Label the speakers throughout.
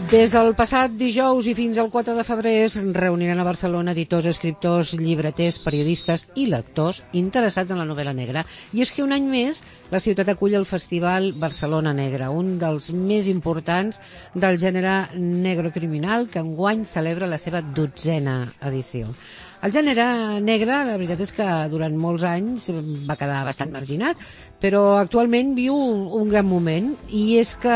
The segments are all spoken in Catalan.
Speaker 1: Des del passat dijous i fins al 4 de febrer es reuniran a Barcelona editors, escriptors, llibreters, periodistes i lectors interessats en la novel·la negra. I és que un any més la ciutat acull el Festival Barcelona Negra, un dels més importants del gènere negrocriminal, que enguany celebra la seva 12a edició. El gènere negre, la veritat és que durant molts anys va quedar bastant marginat, però actualment viu un gran moment, i és que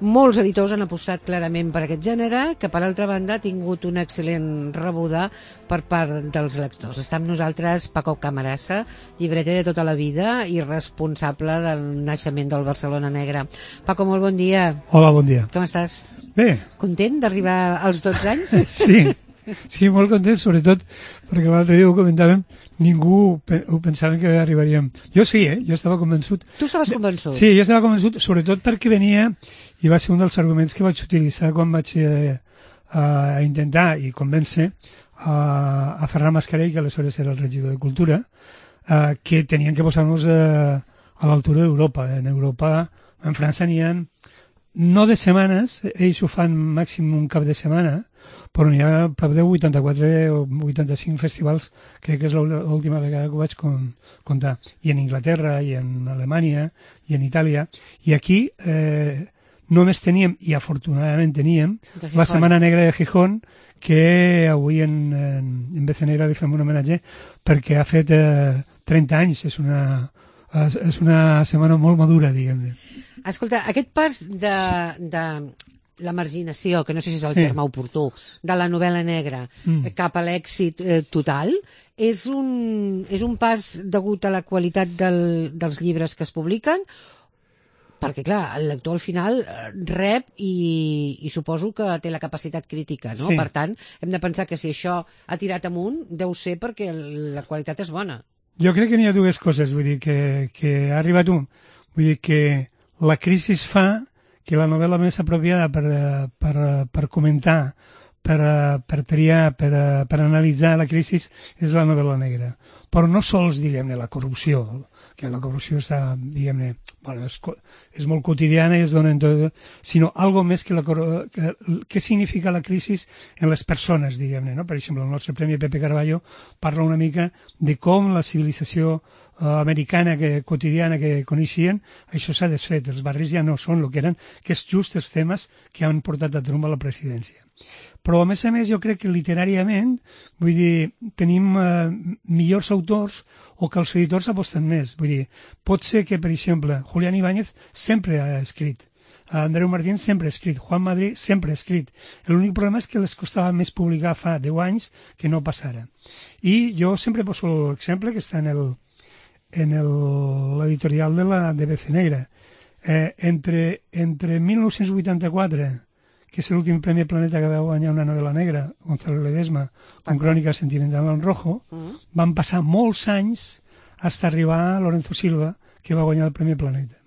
Speaker 1: molts editors han apostat clarament per aquest gènere, que per altra banda ha tingut una excel·lent rebuda per part dels lectors. Està amb nosaltres Paco Camarasa, llibreter de tota la vida i responsable del naixement del Barcelona Negre. Paco, molt bon dia.
Speaker 2: Hola, bon dia.
Speaker 1: Com estàs?
Speaker 2: Bé.
Speaker 1: Content d'arribar als 12 anys?
Speaker 2: Sí, molt content, sobretot perquè l'altre dia ho comentàvem, ningú ho pensava que arribaríem. Jo sí, jo estava convençut.
Speaker 1: Tu estaves convençut?
Speaker 2: Sí, jo estava convençut, sobretot perquè venia, i va ser un dels arguments que vaig utilitzar quan vaig intentar i convèncer a Ferran Mascarell, que aleshores era el regidor de Cultura, que tenien que posar-nos a l'altura d'Europa. En Europa, en França n'hi ha no de setmanes, ells ho fan màxim un cap de setmana, però n'hi ha prop de 84 o 85 festivals, crec que és l'última vegada que ho vaig comptar. I en Anglaterra, i en Alemanya, i en Itàlia. I aquí només teníem, i afortunadament teníem, la Setmana Negra de Gijón, que avui en BC Negra li fem un homenatge perquè ha fet 30 anys. És una setmana molt madura, diguem-ne.
Speaker 1: Escolta, aquest pas de la marginació, que no sé si és el terme oportú, de la novel·la negra cap a l'èxit total, és un pas degut a la qualitat dels llibres que es publiquen, perquè, clar, el lector al final rep i suposo que té la capacitat crítica, no? Sí. Per tant, hem de pensar que si això ha tirat amunt, deu ser perquè la qualitat és bona.
Speaker 2: Jo crec que n'hi ha dues coses, vull dir, que ha arribat vull dir que la crisi fa que la novel·la més apropiada per comentar, per triar, per analitzar la crisi és la novel·la negra. Però no sols, diguem-ne, la corrupció, que la corrupció està, diguem-ne, bueno, és molt quotidiana i es dona en tot, sinó algo més que què significa la crisi en les persones, diguem-ne, no? Per exemple, el nostre Premi Pepe Carballo parla una mica de com la civilització americana quotidiana que coneixien, això s'ha desfet, els barris ja no són el que eren, que és just els temes que han portat a Trump a la presidència. Però a més, jo crec que literàriament, vull dir, tenim millors autors o que els editors aposten més. Vull dir, pot ser que, per exemple, Julián Ibáñez sempre ha escrit, Andreu Martín sempre ha escrit, Juan Madrid sempre ha escrit. L'únic problema és que les costava més publicar fa 10 anys que no passara. I jo sempre poso l'exemple que està en l'editorial de BC Negra. Entre 1984, que és l'últim Premi Planeta que va guanyar una novel·la negra, Gonzalo Ledesma, con Crònica Sentimental en Rojo, van passar molts anys fins a arribar a Lorenzo Silva, que va guanyar el Premi Planeta.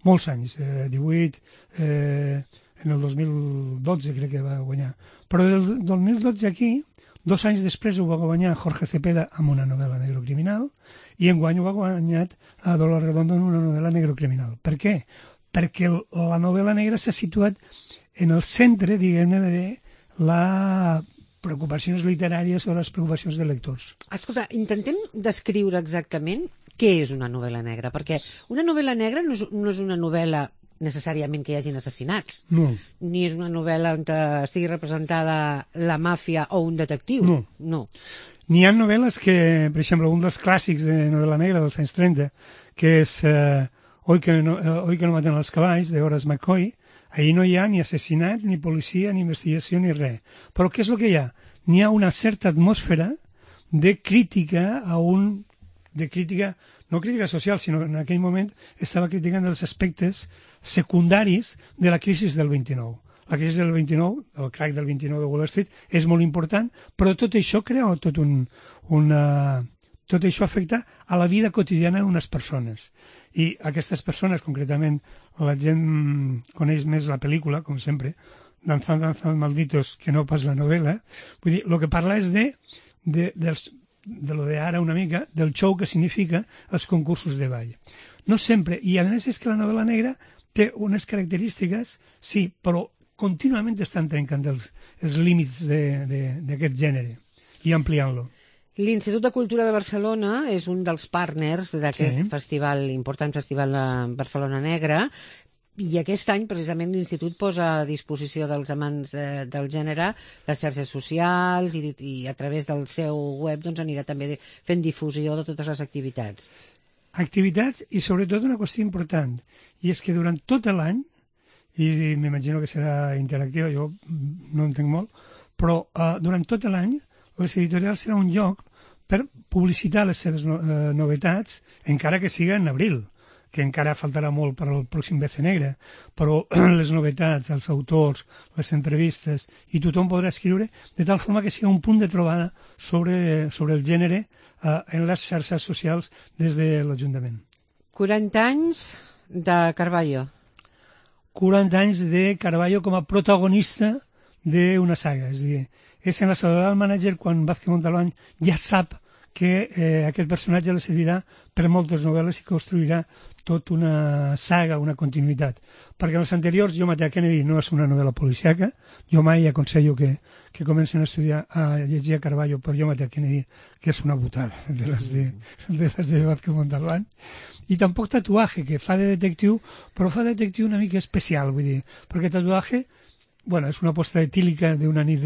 Speaker 2: Molts anys, 18, en el 2012 crec que va guanyar. Però del 2012 aquí, 2 anys després ho va guanyar Jorge Cepeda amb una novel·la negrocriminal i enguany ho ha guanyat a Dolor Redondo en una novel·la negrocriminal. Per què? Perquè la novel·la negra s'ha situat en el centre, diguem-ne, de les preocupacions literàries o les preocupacions de lectors.
Speaker 1: Escolta, intentem descriure exactament què és una novel·la negra, perquè una novel·la negra no és una novel·la necessàriament que hi hagin assassinats.
Speaker 2: No.
Speaker 1: Ni és una novel·la on estigui representada la màfia o un detectiu.
Speaker 2: No. N'hi ha novel·les que, per exemple, un dels clàssics de novel·la negra dels anys 30, que és Hoy que no maten els cavalls, de Horace McCoy, ahir no hi ha ni assassinat, ni policia, ni investigació, ni res. Però què és el que hi ha? N'hi ha una certa atmosfera de crítica no crítica social, sinó en aquell moment estava criticant els aspectes secundaris de la crisi del 29. La crisi del 29, el crack del 29 de Wall Street, és molt important, però tot això crea tot això afecta a la vida quotidiana d'unes persones. I aquestes persones, concretament, la gent coneix més la pel·lícula, com sempre, Danzando Malditos, que no pas la novel·la. Vull dir, el que parla és de lo d'ara una mica, del show que significa els concursos de ball. No sempre, i a més és que la novel·la negra té unes característiques, sí, però contínuament estan trencant els límits d'aquest gènere i ampliant-lo.
Speaker 1: L'Institut de Cultura de Barcelona és un dels partners d'aquest festival, important festival de Barcelona Negra, i aquest any, precisament, l'Institut posa a disposició dels amants del gènere les xarxes socials i a través del seu web doncs, anirà també fent difusió de totes les activitats.
Speaker 2: Activitats i, sobretot, una qüestió important, i és que durant tot l'any, i m'imagino que serà interactiva, jo no entenc molt, però durant tot l'any les editorials serà un lloc per publicitar les seves novetats, encara que siga en abril, que encara faltarà molt per al pròxim BC Negre, però les novetats, els autors, les entrevistes, i tothom podrà escriure de tal forma que sigui un punt de trobada sobre el gènere en les xarxes socials des de l'Ajuntament.
Speaker 1: 40 anys de Carballo.
Speaker 2: 40 anys de Carballo com a protagonista d'una saga, és a dir, és en la soledat del mànager quan Vázquez Montalbán ja sap que aquest personatge li servirà per moltes novel·les i construirà tota una saga, una continuïtat. Perquè els anteriors, Jo maté a Kennedy no és una novel·la policíaca, jo mai aconsello que comencen a estudiar, a llegir a Carballo per Jo maté a Kennedy, que és una botada de les de Vázquez Montalbán. I tampoc Tatuaje, que fa de detectiu, però fa de detectiu una mica especial, vull dir, perquè Tatuaje, bueno, és una aposta etílica d'una nit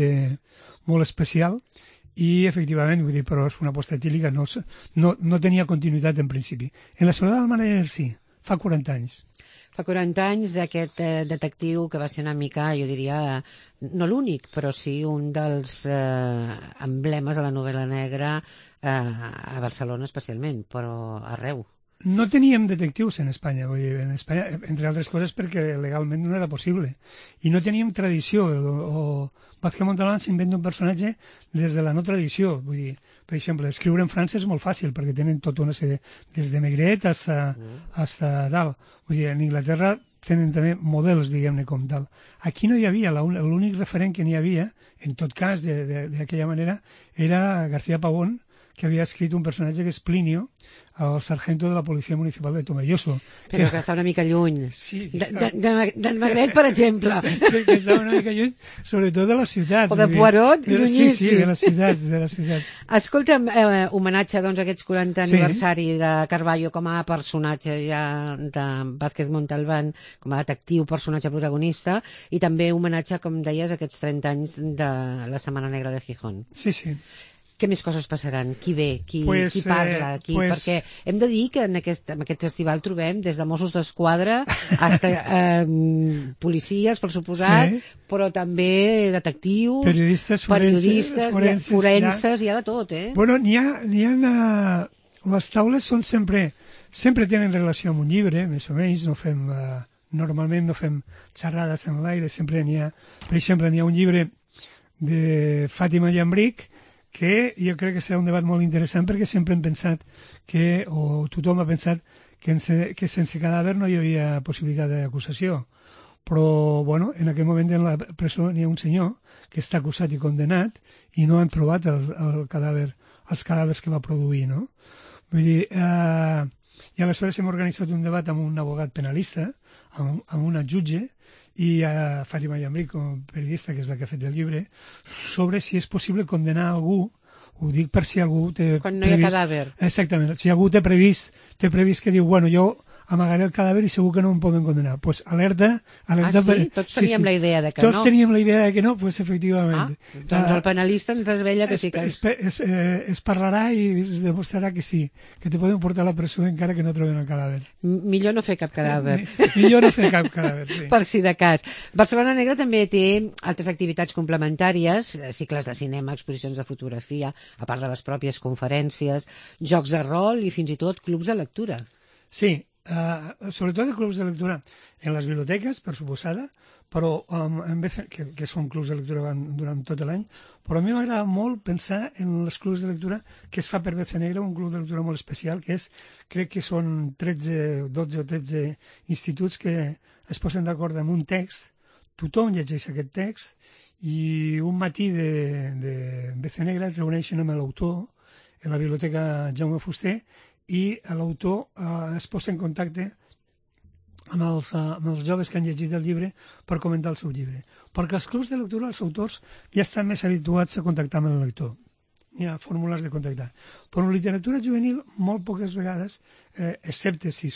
Speaker 2: molt especial, i efectivament, vull dir, però és una aposta etílica, no tenia continuïtat en principi. En la soledat del mànager sí, fa 40 anys.
Speaker 1: Fa 40 anys d'aquest detectiu que va ser una mica, jo diria, no l'únic, però sí un dels emblemes de la novel·la negra a Barcelona especialment, però arreu.
Speaker 2: No teníem detectius en Espanya, vull dir, en Espanya, entre altres coses perquè legalment no era possible. I no teníem tradició, Vázquez Montalbán s'inventa un personatge des de la no tradició, vull dir, per exemple, escriure en França és molt fàcil perquè tenen tota una sèrie, des de Maigret hasta dalt. Vull dir, en Inglaterra tenen també models, diguem-ne, com tal. Aquí no hi havia, l'únic referent que n'hi havia, en tot cas, d'aquella manera, era García Pavón, que havia escrit un personatge que és Plinio, el sargento de la Policia Municipal de Tomelloso.
Speaker 1: Però que està una mica lluny.
Speaker 2: Sí.
Speaker 1: D'en Magret, per exemple.
Speaker 2: Que està una mica lluny, sobretot de les ciutats.
Speaker 1: O de Poirot, llunyíssim.
Speaker 2: Sí, de les ciutats.
Speaker 1: Escolta'm, homenatge doncs, a aquests 40 aniversari de Carballo com a personatge ja de Vázquez Montalbán, com a detectiu, personatge protagonista, i també homenatge, com deies, a aquests 30 anys de la Setmana Negra de Gijón.
Speaker 2: Sí, sí.
Speaker 1: Què més coses passaran? Qui ve? Qui parla? Perquè hem de dir que en aquest festival trobem des de Mossos d'Esquadra fins a policies, per suposat, però també detectius, periodistes, forenses, hi ha de tot, eh?
Speaker 2: Bueno, n'hi ha les taules són sempre tenen relació amb un llibre, més o menys, normalment no fem xerrades en l'aire, sempre n'hi ha, per exemple, n'hi ha un llibre de Fàtima Llambric, que jo crec que serà un debat molt interessant perquè sempre hem pensat o tothom ha pensat que sense cadàver no hi havia possibilitat d'acusació. Però, bueno, en aquell moment en la presó n'hi ha un senyor que està acusat i condenat i no han trobat els cadàvers que va produir, no? Vull dir, i aleshores hem organitzat un debat amb un abogat penalista, amb una jutge, i a Fàtima Llambric, com a periodista, que és la que ha fet el llibre, sobre si és possible condenar algú, ho dic per si algú té
Speaker 1: quan no hi ha cadàver.
Speaker 2: Exactament, si algú té previst que diu, bueno, jo amagaré el cadàver i segur que no em poden condenar. Doncs alerta...
Speaker 1: sí? Tots teníem la idea de que no?
Speaker 2: Tots teníem la idea de que no, doncs efectivament.
Speaker 1: Doncs el penalista ens desvella que sí que
Speaker 2: es parlarà i es demostrarà que sí, que te poden portar a la presó encara que no troben el cadàver.
Speaker 1: Millor no fer cap cadàver.
Speaker 2: Millor no fer cap cadàver, sí.
Speaker 1: Per si de cas. Barcelona Negra també té altres activitats complementàries, cicles de cinema, exposicions de fotografia, a part de les pròpies conferències, jocs de rol i fins i tot clubs de lectura.
Speaker 2: Sí, sobretot de clubs de lectura en les biblioteques, per suposada, però que són clubs de lectura durant tot l'any, però a mi m'agrada molt pensar en els clubs de lectura que es fa per BC Negra, un club de lectura molt especial, crec que són 12 o 13 instituts que es posen d'acord amb un text, tothom llegeix aquest text, i un matí de BC Negra es reuneixen amb l'autor en la biblioteca Jaume Fuster, i l'autor es posa en contacte amb els joves que han llegit el llibre per comentar el seu llibre. Perquè els clubs de lectura, els autors, ja estan més habituats a contactar amb el lector. Hi ha fórmules de contactar. Però en literatura juvenil, molt poques vegades, excepte si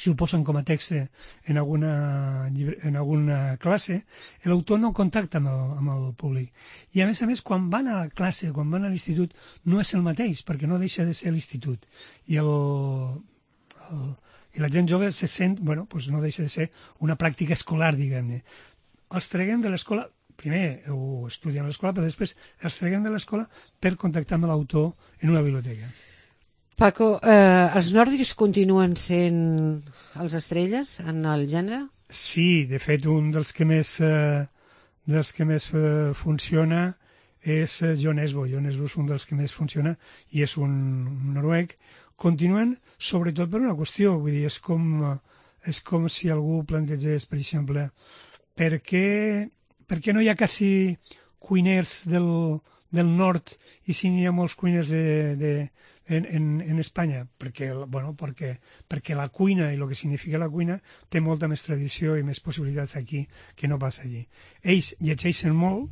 Speaker 2: ho posen com a text en alguna classe, l'autor no contacta amb el públic. I a més, quan van a la classe, quan van a l'institut, no és el mateix, perquè no deixa de ser l'institut. I la gent jove se sent, no deixa de ser una pràctica escolar, diguem-ne. Els traguem de l'escola, primer ho estudien a l'escola, però després els traguem de l'escola per contactar amb l'autor en una biblioteca.
Speaker 1: Paco, els nòrdics continuen sent els estrelles en el gènere?
Speaker 2: Sí, de fet, un dels que més funciona és Jon Esbo. Jon Esbo és un dels que més funciona i és un noruec. Continuen, sobretot per una qüestió, vull dir, és com si algú plantegés, per exemple, per què no hi ha quasi cuiners del nord i si n'hi ha molts cuiners en Espanya? Perquè la cuina i el que significa la cuina té molta més tradició i més possibilitats aquí que no passa allí. Ells llegeixen molt,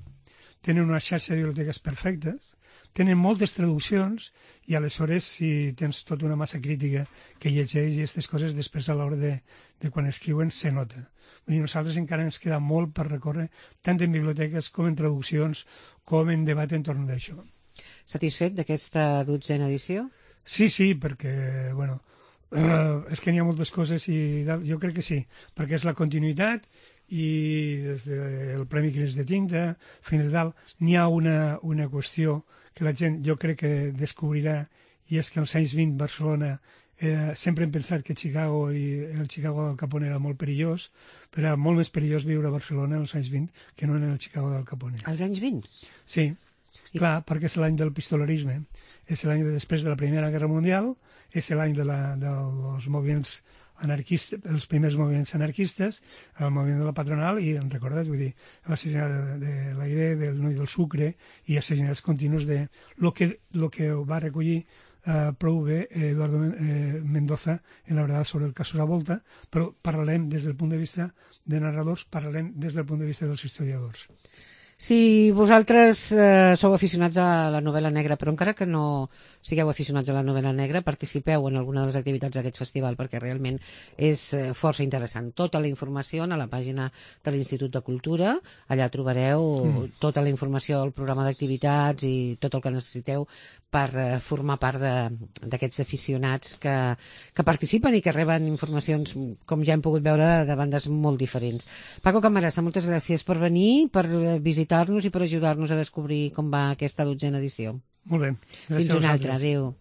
Speaker 2: tenen una xarxa de biblioteques perfectes, tenen moltes traduccions i aleshores si tens tota una massa crítica que llegeix i aquestes coses després a l'hora de quan escriuen se nota. Vull dir, nosaltres encara ens queda molt per recórrer tant en biblioteques com en traduccions com en debat entorn d'això.
Speaker 1: Satisfet d'aquesta 12a edició?
Speaker 2: Sí, perquè, és que n'hi ha moltes coses i jo crec que sí, perquè és la continuïtat i des del Premi Cris de Tinta fins a dalt n'hi ha una qüestió que la gent jo crec que descobrirà i és que als anys 20 Barcelona sempre hem pensat que Chicago i el Chicago del Capone era molt perillós, però era molt més perillós viure a Barcelona als anys 20 que no en el Chicago del Capone.
Speaker 1: Als anys 20?
Speaker 2: Sí, clar, perquè és l'any del pistolarisme, és l'any després de la Primera Guerra Mundial, és l'any dels moviments anarquistes, els primers moviments anarquistes, el moviment de la patronal i, en recordat, vull dir, l'assassinat de l'Aire, del Noi del Sucre i assassinats continus de lo que va recollir prou bé Eduardo Mendoza en la verdad sobre el caso La Volta, però parlarem des del punt de vista de narradors, parlarem des del punt de vista dels historiadors.
Speaker 1: Si vosaltres sou aficionats a la novel·la negra, però encara que no sigueu aficionats a la novel·la negra, participeu en alguna de les activitats d'aquest festival, perquè realment és força interessant. Tota la informació a la pàgina de l'Institut de Cultura, allà trobareu tota la informació del programa d'activitats i tot el que necessiteu per formar part d'aquests aficionats que participen i que reben informacions, com ja hem pogut veure, de bandes molt diferents. Paco Camarasa, moltes gràcies per venir, per visitar-nos i per ajudar-nos a descobrir com va aquesta 12a edició.
Speaker 2: Molt bé.
Speaker 1: Fins una altra. Adéu.